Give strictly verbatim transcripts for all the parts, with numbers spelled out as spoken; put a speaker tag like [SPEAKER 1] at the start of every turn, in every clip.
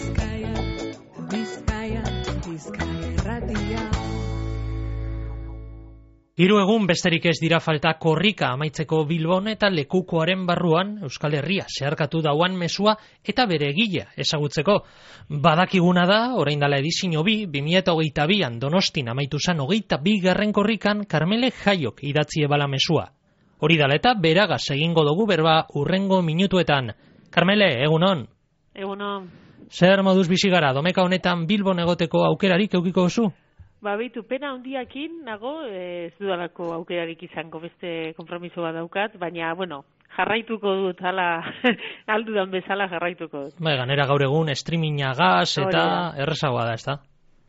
[SPEAKER 1] Bizkaia, Bizkaia, Bizkaia irratia.
[SPEAKER 2] Hiru egun besterik ez dira falta korrika amaitzeko Bilbon eta lekukoaren barruan Euskal Herria zeharkatu dauan mezua eta bere egilea ezagutzeko. Badakiguna da, orain dela edizio bi, bi mila hogeita bian Donostin amaitu zan hogeita bigarren korrikan Karmele Jaiok idatzi ebala mezua. Hori dala eta beragaz egingo dugu berba urrengo minutuetan. Karmele, egunon?
[SPEAKER 3] Egunon.
[SPEAKER 2] Zer moduz bizi gara, domeka honetan Bilbon egoteko aukerarik eukiko zu?
[SPEAKER 3] Ba, behitu, pena handiakin nago, ez dudalako aukerarik izango beste konpromiso bat daukat, baina, bueno, jarraituko dut, hala, aldudan bezala jarraituko dut.
[SPEAKER 2] Ba, ganera gaur egun streaminga gaz eta errezagoa da, ez da?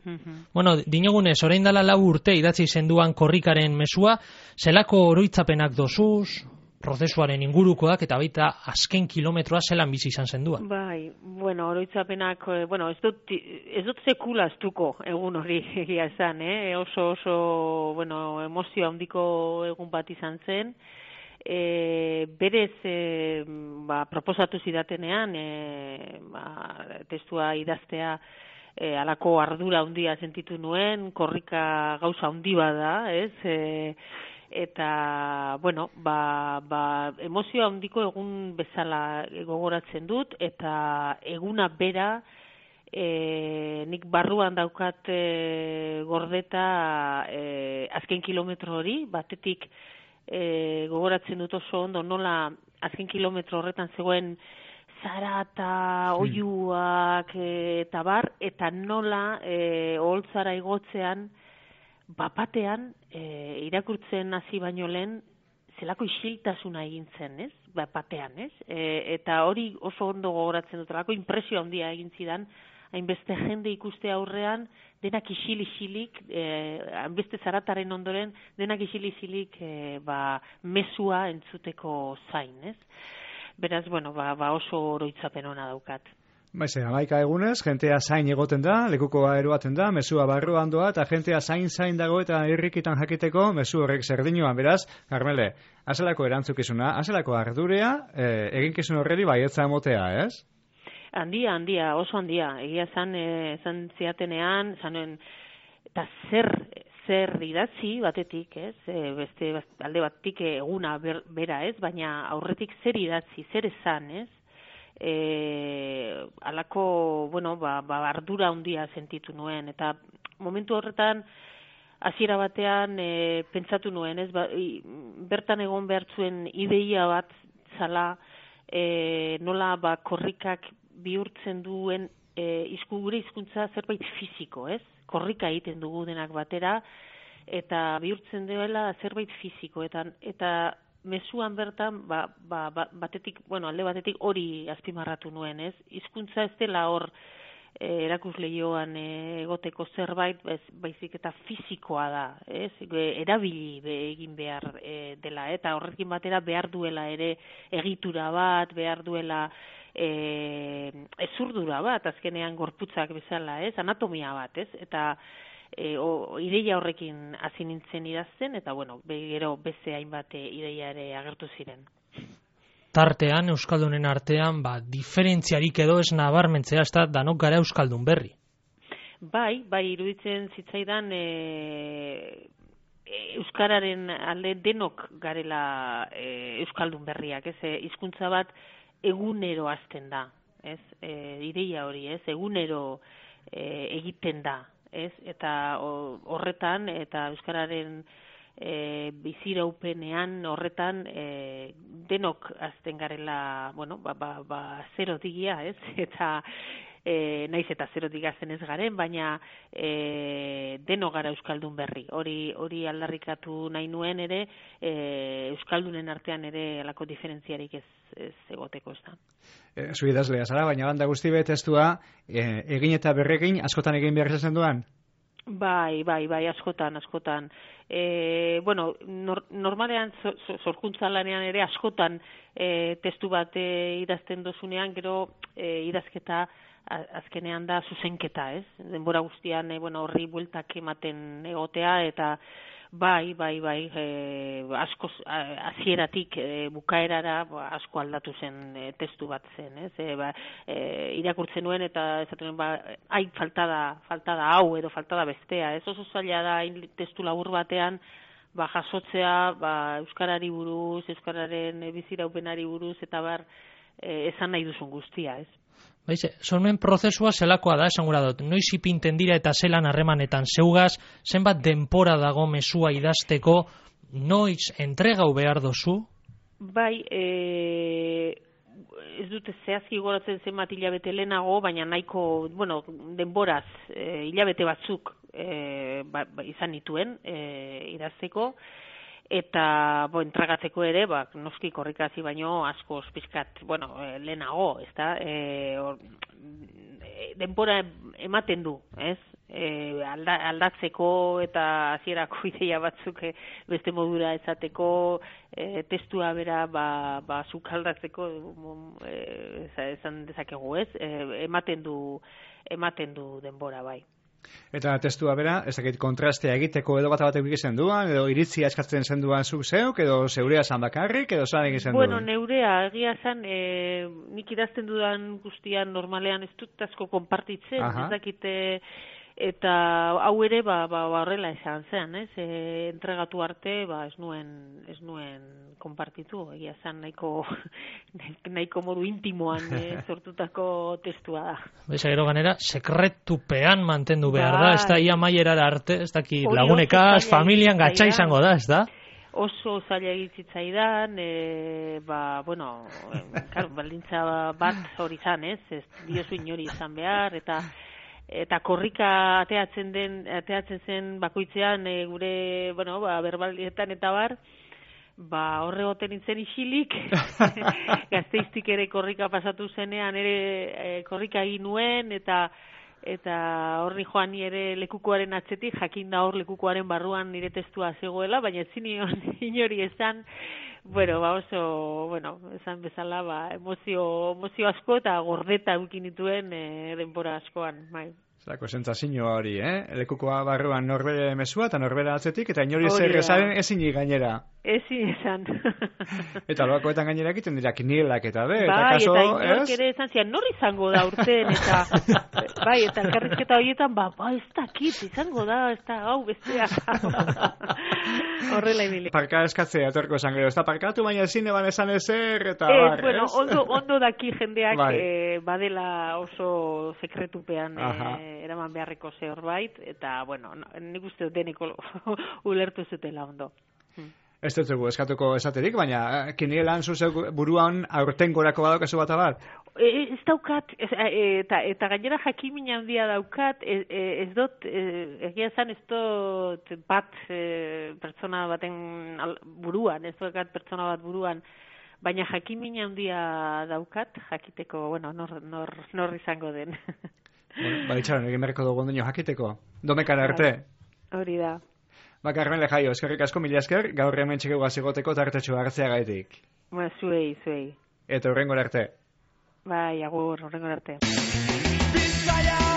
[SPEAKER 3] Uh-huh.
[SPEAKER 2] Bueno, dinogunez, orain dela lau urte idatzi zenduan korrikaren mezua, zelako oroitzapenak dozuz, prozesuaren ingurukoak eta baita azken kilometroa zelan bizi izan zendua.
[SPEAKER 3] Bai, bueno, oroitzapenak, bueno, ez dut, ez dut sekula astuko egun hori egia esan, eh? oso oso, bueno, emozio handiko egun bat izan zen, e, berez, e, ba, proposatu zidatenean, e, ba, testua idaztea, e, alako ardura handia sentitu nuen, korrika gauza handi bada, ez, e, eta, bueno, ba, ba, emozio handiko egun bezala gogoratzen dut, eta eguna bera e, nik barruan daukat e, gordeta e, azken kilometro hori, batetik e, gogoratzen dut oso ondo nola azken kilometro horretan zegoen zara eta oiuak e, eta bar, eta nola e, oholtzara igotzean bapatean, e, irakurtzen hasi baino lehen, zelako isiltasuna egin zen, ez? Bapatean, ez? E, eta hori oso ondo gogoratzen dut, lako impresio handia egin zidan, hainbeste jende ikuste aurrean, denak isil-isilik, e, hainbeste zarataren ondoren, denak isil-isilik, e, ba, mezua entzuteko zain, ez? Beraz, bueno, ba, ba oso oroitzapen ona daukat.
[SPEAKER 4] Baize, hamaika egunez, jentea zain egoten da, lekukoa eroaten da, mezua barruan doa, eta jentea zain-zain dago eta irrikitan jakiteko mezu horrek zerdinuan. Beraz, Karmele, azelako erantzukizuna, azelako ardurea, e, eginkizun horreri baietza emotea, ez?
[SPEAKER 3] Handia, handia, oso handia. Egia zan, e, zan ziatenean, zanen, eta zer, zer idatzi batetik, ez? E, beste alde batetik eguna ber, bera, ez? Baina aurretik zer idatzi, zer esan, ez? E, alako, bueno, ba, ba, ardura handia sentitu nuen, eta momentu horretan hasiera batean e, pentsatu nuen, ez, ba, i, bertan egon behartzuen ideia bat zala, e, nola ba, korrikak bihurtzen duen e, izku gure hizkuntza zerbait fisiko, ez? Korrika egiten dugu denak batera, eta bihurtzen duela zerbait fisiko, eta, eta mezuan bertan, ba, ba, ba, batetik, bueno, alde batetik hori azpimarratu nuen, ez? Hizkuntza ez dela hor e, erakusleioan e, egoteko zerbait, ez, baizik eta fisikoa da, ez? E, erabili be, egin behar e, dela, eta horrekin batera behar duela ere egitura bat, behar duela e, ezurdura bat, azkenean gorputzak bezala, ez? Anatomia bat, ez? Eta E, o, ideia horrekin hasi nintzen idazten, eta bueno, gero beste hainbat ideia ere agertu ziren.
[SPEAKER 2] Tartean, Euskaldunen artean, ba, diferentziarik edo ez nabarmentzea, ez da, danok gara Euskaldun berri.
[SPEAKER 3] Bai, bai, iruditzen zitzaidan e, Euskararen alde denok garela e, Euskaldun berriak, ez, e, hizkuntza bat egunero hasten da, ez, e, ideia hori, ez, egunero e, egiten da, ez, eta horretan, eta euskararen e, biziraupenean horretan e, denok azten garela, bueno, ba, ba, ba zerotigia, ez, eta e, naiz eta zerotik azten ez garen, baina e, denok gara euskaldun berri. Hori hori aldarrikatu nahi nuen ere, e, euskaldunen artean ere alako diferentziarik ez, ez egoteko, ez da.
[SPEAKER 4] E, zu idazlea zara, baina banda guzti testua e, egin eta berrekin askotan egin behar izan duan?
[SPEAKER 3] Bai, bai, bai, askotan, askotan. E, bueno, nor, normalean sorkuntza lanean ere askotan e, testu bat e, idazten dozunean, gero e, idazketa azkenean da zuzenketa, ez? Denbora guztian e, bueno, horri bueltak ematen egotea, eta Bai, bai, bai, e, asko hasieratik e, bukaerara ba, asko aldatu zen e, testu bat zen, ez? E, ba, e, irakurtzen nuen eta esaten ba, ai, falta da, falta da hau edo falta da bestea, ez? Oso zaila da testu labur batean ba, jasotzea ba, euskarari buruz, euskararen biziraupenari buruz eta bar e, esan nahi duzun guztia, ez?
[SPEAKER 2] Baize, sormen prozesua zelakoa da, esan gura dut, noiz ipinten dira eta zelan harremanetan zeugaz, zenbat denpora dago mesua idazteko, noiz entregau behar dozu?
[SPEAKER 3] Bai, e, ez dute zehazki goratzen zenbat hilabete lehenago, baina nahiko, bueno, denboraz, e, hilabete batzuk e, ba, ba, izan nituen e, idazteko, eta bo, entregatzeko ere, ba, noski korrikazi baino asko pizkat, bueno, e, lehenago, ez da, e, or, denbora ematen du, ez? E, alda, aldatzeko eta hasierako ideia batzuk e, beste modura ezateko, e, testua bera ba, ba zuk aldatzeko e, esan dezakegu, ez? E, ematen du ematen du denbora, bai.
[SPEAKER 4] Eta testua bera, ez dakit kontrastea egiteko edo bat batek egiten duan, edo iritzia eskatzen zen duan zuk zeuk, edo zeurea zan bakarrik, edo zan egiten duan?
[SPEAKER 3] Bueno, neurea, egia zan, e, nik idazten dudan guztian normalean ez dut asko konpartitzen, ez dakite, eta hau ere, ba, ba, horrela esan zen, ez? E, entregatu arte, ba, ez nuen, ez nuen konpartitu, egia zan, nahiko, nahiko modu intimoan e, sortutako testua da.
[SPEAKER 2] Beza, gero ganera, sekretupean mantendu behar
[SPEAKER 3] ba,
[SPEAKER 2] da, ez da ia maierara arte, ez daki lagunekaz, familian gatsa izango da, ez da?
[SPEAKER 3] Oso zaila egitzitzaidan, e, ba, bueno, e, karo, baldintza bat hori zan, ez? Ez diozu inori izan behar, eta eta korrika ateatzen den ateatzen zen bakoitzean e, gure, bueno, ba, berbaldietan eta bar, ba, horre goten nintzen isilik, Gasteiztik ere korrika pasatu zenean ere e, korrika egin nuen, eta eta horri joan ni ere lekukoaren atzetik, jakin da hor lekukoaren barruan nire testua zegoela, baina ez zinion inori esan, bueno, ba oso, bueno, esan bezala, ba, emozio, emozio asko eta gordeta eukin dituen e, denbora askoan, bai.
[SPEAKER 4] Zako sentsazio hori, eh? Lekukoa barruan norbere mesua eta norbera atzetik, eta inori zer esaren ezin gainera.
[SPEAKER 3] Ezin esan.
[SPEAKER 4] Eta loakoetan gainera egiten dira kinielak eta be,
[SPEAKER 3] bai,
[SPEAKER 4] eta kaso,
[SPEAKER 3] eta inork ere esan zian, nor izango da urten, eta bai, eta elkarrizketa horietan, ba, ba, ez dakit, izango da, ez da, hau, bestea. Horrela ibili.
[SPEAKER 4] Parka eskatzea, etorko esan gero, ez da parkatu, baina ezin eban esan ezer, eta
[SPEAKER 3] ez,
[SPEAKER 4] bar,
[SPEAKER 3] bueno,
[SPEAKER 4] ez?
[SPEAKER 3] ondo, ondo daki jendeak
[SPEAKER 4] bai.
[SPEAKER 3] eh, badela oso sekretupean eh, eraman beharreko zehorbait, eta, bueno, nik uste deneko ulertu zutela ondo. Hmm.
[SPEAKER 4] Ez dut zugu eskatuko esaterik, baina kinielan zuzeu buruan aurten gorako badaukazu bat abar?
[SPEAKER 3] E, ez daukat, ez, eta, eta gainera jakimin handia daukat, ez, ez dut, egia zan ez dut bat e, pertsona baten buruan, ez daukat pertsona bat buruan, baina jakimin handia daukat, jakiteko, bueno, nor, nor, nor izango den.
[SPEAKER 4] Bueno, baditxaron, egin berreko dugu ondino jakiteko. Domekara arte?
[SPEAKER 3] Hori da.
[SPEAKER 4] Ba, Carmele Jaio, eskerrik asko mila esker, gaur hemen txekegu azigoteko tartetxo hartzea gaitik.
[SPEAKER 3] Ba, zuei, zuei.
[SPEAKER 4] Eta hurrengora arte.
[SPEAKER 3] Bai, agur, hurrengora arte.
[SPEAKER 5] Bizkaia